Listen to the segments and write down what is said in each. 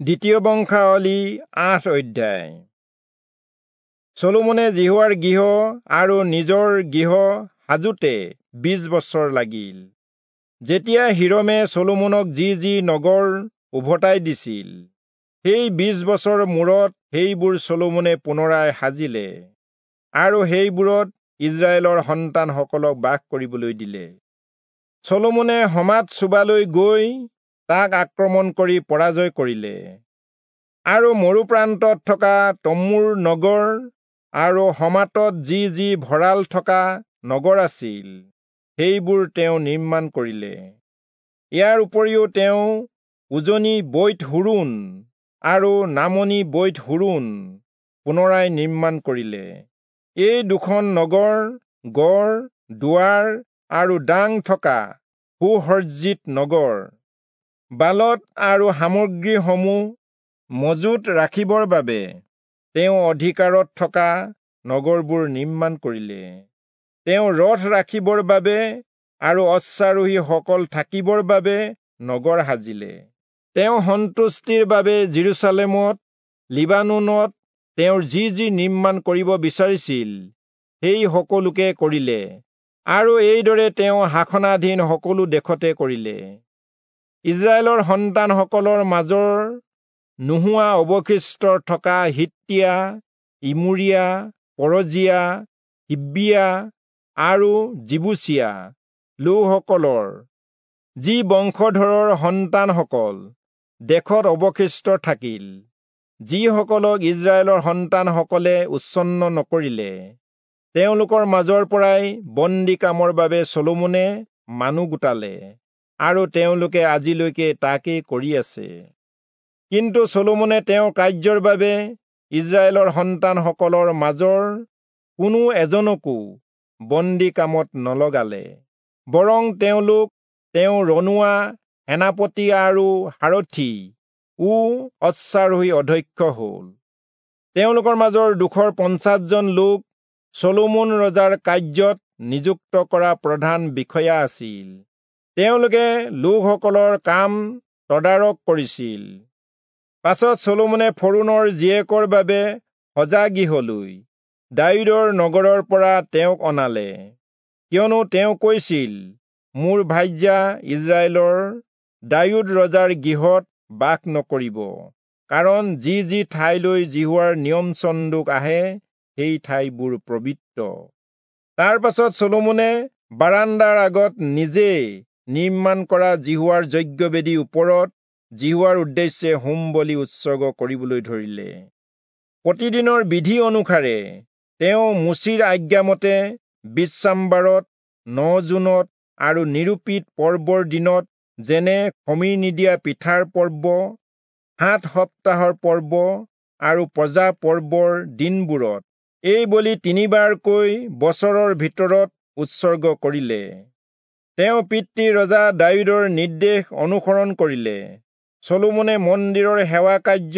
দ্বিতীয় বংশাৱলী ৮ অধ্যায়। চলোমনে যিহোৱাৰ গৃহ আৰু নিজৰ গৃহ সাজোতে ২০ বছৰ লাগিল। যেতিয়া হিৰমে চলোমনক যি যি নগৰ উভতাই দিছিল, সেই ২০ বছৰ মূৰত সেইবোৰ চলোমনে পুনৰাই সাজিলে আৰু সেইবোৰত ইস্ৰায়েলৰ সন্তানসকলক বাস কৰিবলৈ দিলে। চলোমনে হমাত চোবালৈ গৈ তাক আক্ৰমণ কৰি পৰাজয় কৰিলে আৰু মৰুপ্ৰান্তত থকা তম্মুৰ নগৰ আৰু হমাতত যি যি ভঁৰাল থকা নগৰ আছিল সেইবোৰ তেওঁ নিৰ্মাণ কৰিলে। ইয়াৰ উপৰিও তেওঁ উজনি বৈৎ হোৰোণ আৰু নামনি বৈৎ হোৰোণ পুনৰাই নিৰ্মাণ কৰিলে। এই দুখন নগৰ গড়, দুৱাৰ আৰু দাং থকা সুসজ্জিত নগৰ। বালত আৰু সামগ্ৰীসমূহ মজুত ৰাখিবৰ বাবে তেওঁ অধিকাৰত থকা নগৰবোৰ নিৰ্মাণ কৰিলে। তেওঁ ৰথ ৰাখিবৰ বাবে আৰু অশ্বাৰোহীসকল থাকিবৰ বাবে নগৰ সাজিলে। তেওঁ সন্তুষ্টিৰ বাবে যিৰূচালেমত, লিবানোনত তেওঁৰ যি যি নিৰ্মাণ কৰিব বিচাৰিছিল সেই সকলোকে কৰিলে আৰু এইদৰে তেওঁ শাসনাধীন সকলো দেশতে কৰিলে। ইস্ৰায়েলৰ সন্তানসকলৰ মাজৰ নোহোৱা অৱশিষ্ট থকা হিত্তীয়া, ইমোৰীয়া, পৰজীয়া, হিব্বীয়া আৰু যিবূচীয়া লোকসকলৰ যি বংশধৰৰ সন্তানসকল দেশত অৱশিষ্ট থাকিল, যিসকলক ইস্ৰায়েলৰ সন্তানসকলে উচ্ছন্ন নকৰিলে, তেওঁলোকৰ মাজৰ পৰাই বন্দী কামৰ বাবে চলোমনে মানুহ গোটালে আৰু তেওঁলোকে আজিলৈকে তাকেই কৰি আছে। কিন্তু চলোমনে তেওঁৰ কাৰ্যৰ বাবে ইস্ৰায়েলৰ সন্তানসকলৰ মাজৰ কোনো এজনকো বন্দী কামত নলগালে, বৰং তেওঁলোক তেওঁ ৰণুৱা সেনাপতি আৰু সাৰথি ও অশ্বাৰোহী অধ্যক্ষ হ'ল। তেওঁলোকৰ মাজৰ ২৫০ জন লোক চলোমন ৰজাৰ কাৰ্যত নিযুক্ত কৰা প্ৰধান বিষয়া আছিল। তেওঁলোকে লোকসকলৰ কাম তদাৰক কৰিছিল। পাছত চলোমনে ফৰৌণৰ জীয়েকৰ বাবে সজা গৃহলৈ দায়ূদৰ নগৰৰ পৰা তেওঁক অনালে, কিয়নো তেওঁ কৈছিল, মোৰ ভাৰ্যা ইস্ৰায়েলৰ দায়ূদ ৰজাৰ গৃহত বাস নকৰিব, কাৰণ যি যি ঠাইলৈ যিহোৱাৰ নিয়ম চন্দুক আহে সেই ঠাইবোৰ পবিত্ৰ। তাৰ পাছত চলোমনে বাৰাণ্ডাৰ আগত নিজে নিৰ্মাণ কৰা যিহোৱাৰ যজ্ঞবেদীৰ ওপৰত যিহোৱাৰ উদ্দেশ্যে হোম বলি উৎসৰ্গ কৰিবলৈ ধৰিলে। প্ৰতিদিনৰ বিধি অনুসাৰে তেওঁ মোচিৰ আজ্ঞামতে বিশ্ৰামবাৰত, ৯ জুনত আৰু নিৰূপিত পৰ্বৰ দিনত, যেনে খমিৰ নিদিয়া পিঠাৰ পৰ্ব, ৭ সপ্তাহৰ পৰ্ব আৰু প্ৰজা পৰ্বৰ দিনবোৰত এই বলি তিনিবাৰকৈ বছৰৰ ভিতৰত উৎসৰ্গ কৰিলে। তেওঁ পিতৃ ৰজা দায়ূদৰ নিৰ্দেশ অনুসৰণ কৰিলে। চলোমনে মন্দিৰৰ সেৱা কাৰ্য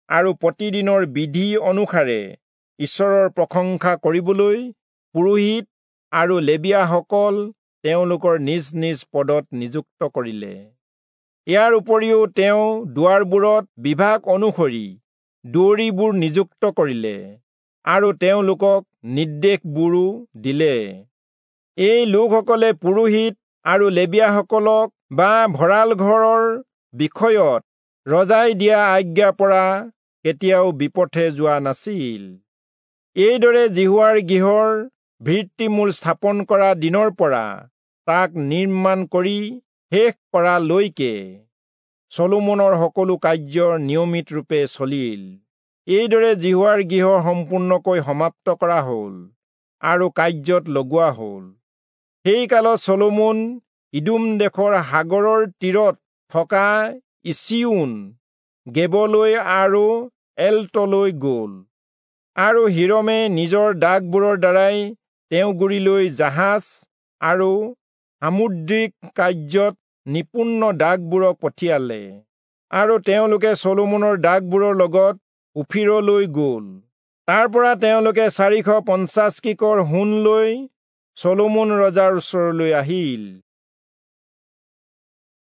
আৰু প্ৰতিদিনৰ বিধি অনুসাৰে ঈশ্বৰৰ প্ৰশংসা কৰিবলৈ পুৰোহিত আৰু লেবীয়াসকল তেওঁলোকৰ নিজ নিজ পদত নিযুক্ত কৰিলে। ইয়াৰ উপৰিও তেওঁ দুৱাৰবোৰত বিভাগ অনুসৰি দুৱৰীবোৰ নিযুক্ত কৰিলে আৰু তেওঁলোকক নিৰ্দেশবোৰো দিলে। এই লোকসকলে পুৰোহিত আৰু লেবীয়াসকলক বা ভঁৰাল ঘৰৰ বিষয়ত ৰজাই দিয়া আজ্ঞাৰ পৰা কেতিয়াও বিপথে যোৱা নাছিল। এইদৰে যিহোৱাৰ গৃহৰ ভিত্তিমূল স্থাপন কৰা দিনৰ পৰা তাক নিৰ্মাণ কৰি শেষ কৰালৈকে চলোমনৰ সকলো কাৰ্য নিয়মিতৰূপে চলিল। এইদৰে যিহোৱাৰ গৃহ সম্পূৰ্ণকৈ সমাপ্ত কৰা হ'ল আৰু কাৰ্যত লগোৱা হ'ল। সেই কালত চলোমন ইদোম দেশৰ সাগৰৰ তীৰত থকা ইচিয়োন গেবলৈ আৰু এলটলৈ গ'ল। আৰু হিৰমে নিজৰ দাসবোৰৰ দ্বাৰাই তেওঁ গুৰিলৈ জাহাজ আৰু সামুদ্ৰিক কাৰ্যত নিপুণ দাসবোৰক পঠিয়ালে আৰু তেওঁলোকে চলোমনৰ দাসবোৰৰ লগত ওফিৰলৈ গ'ল। তাৰ পৰা তেওঁলোকে ৪৫০ কিকৰ সোণ লৈ চলোমন ৰজাৰ ওচৰলৈ আহিল।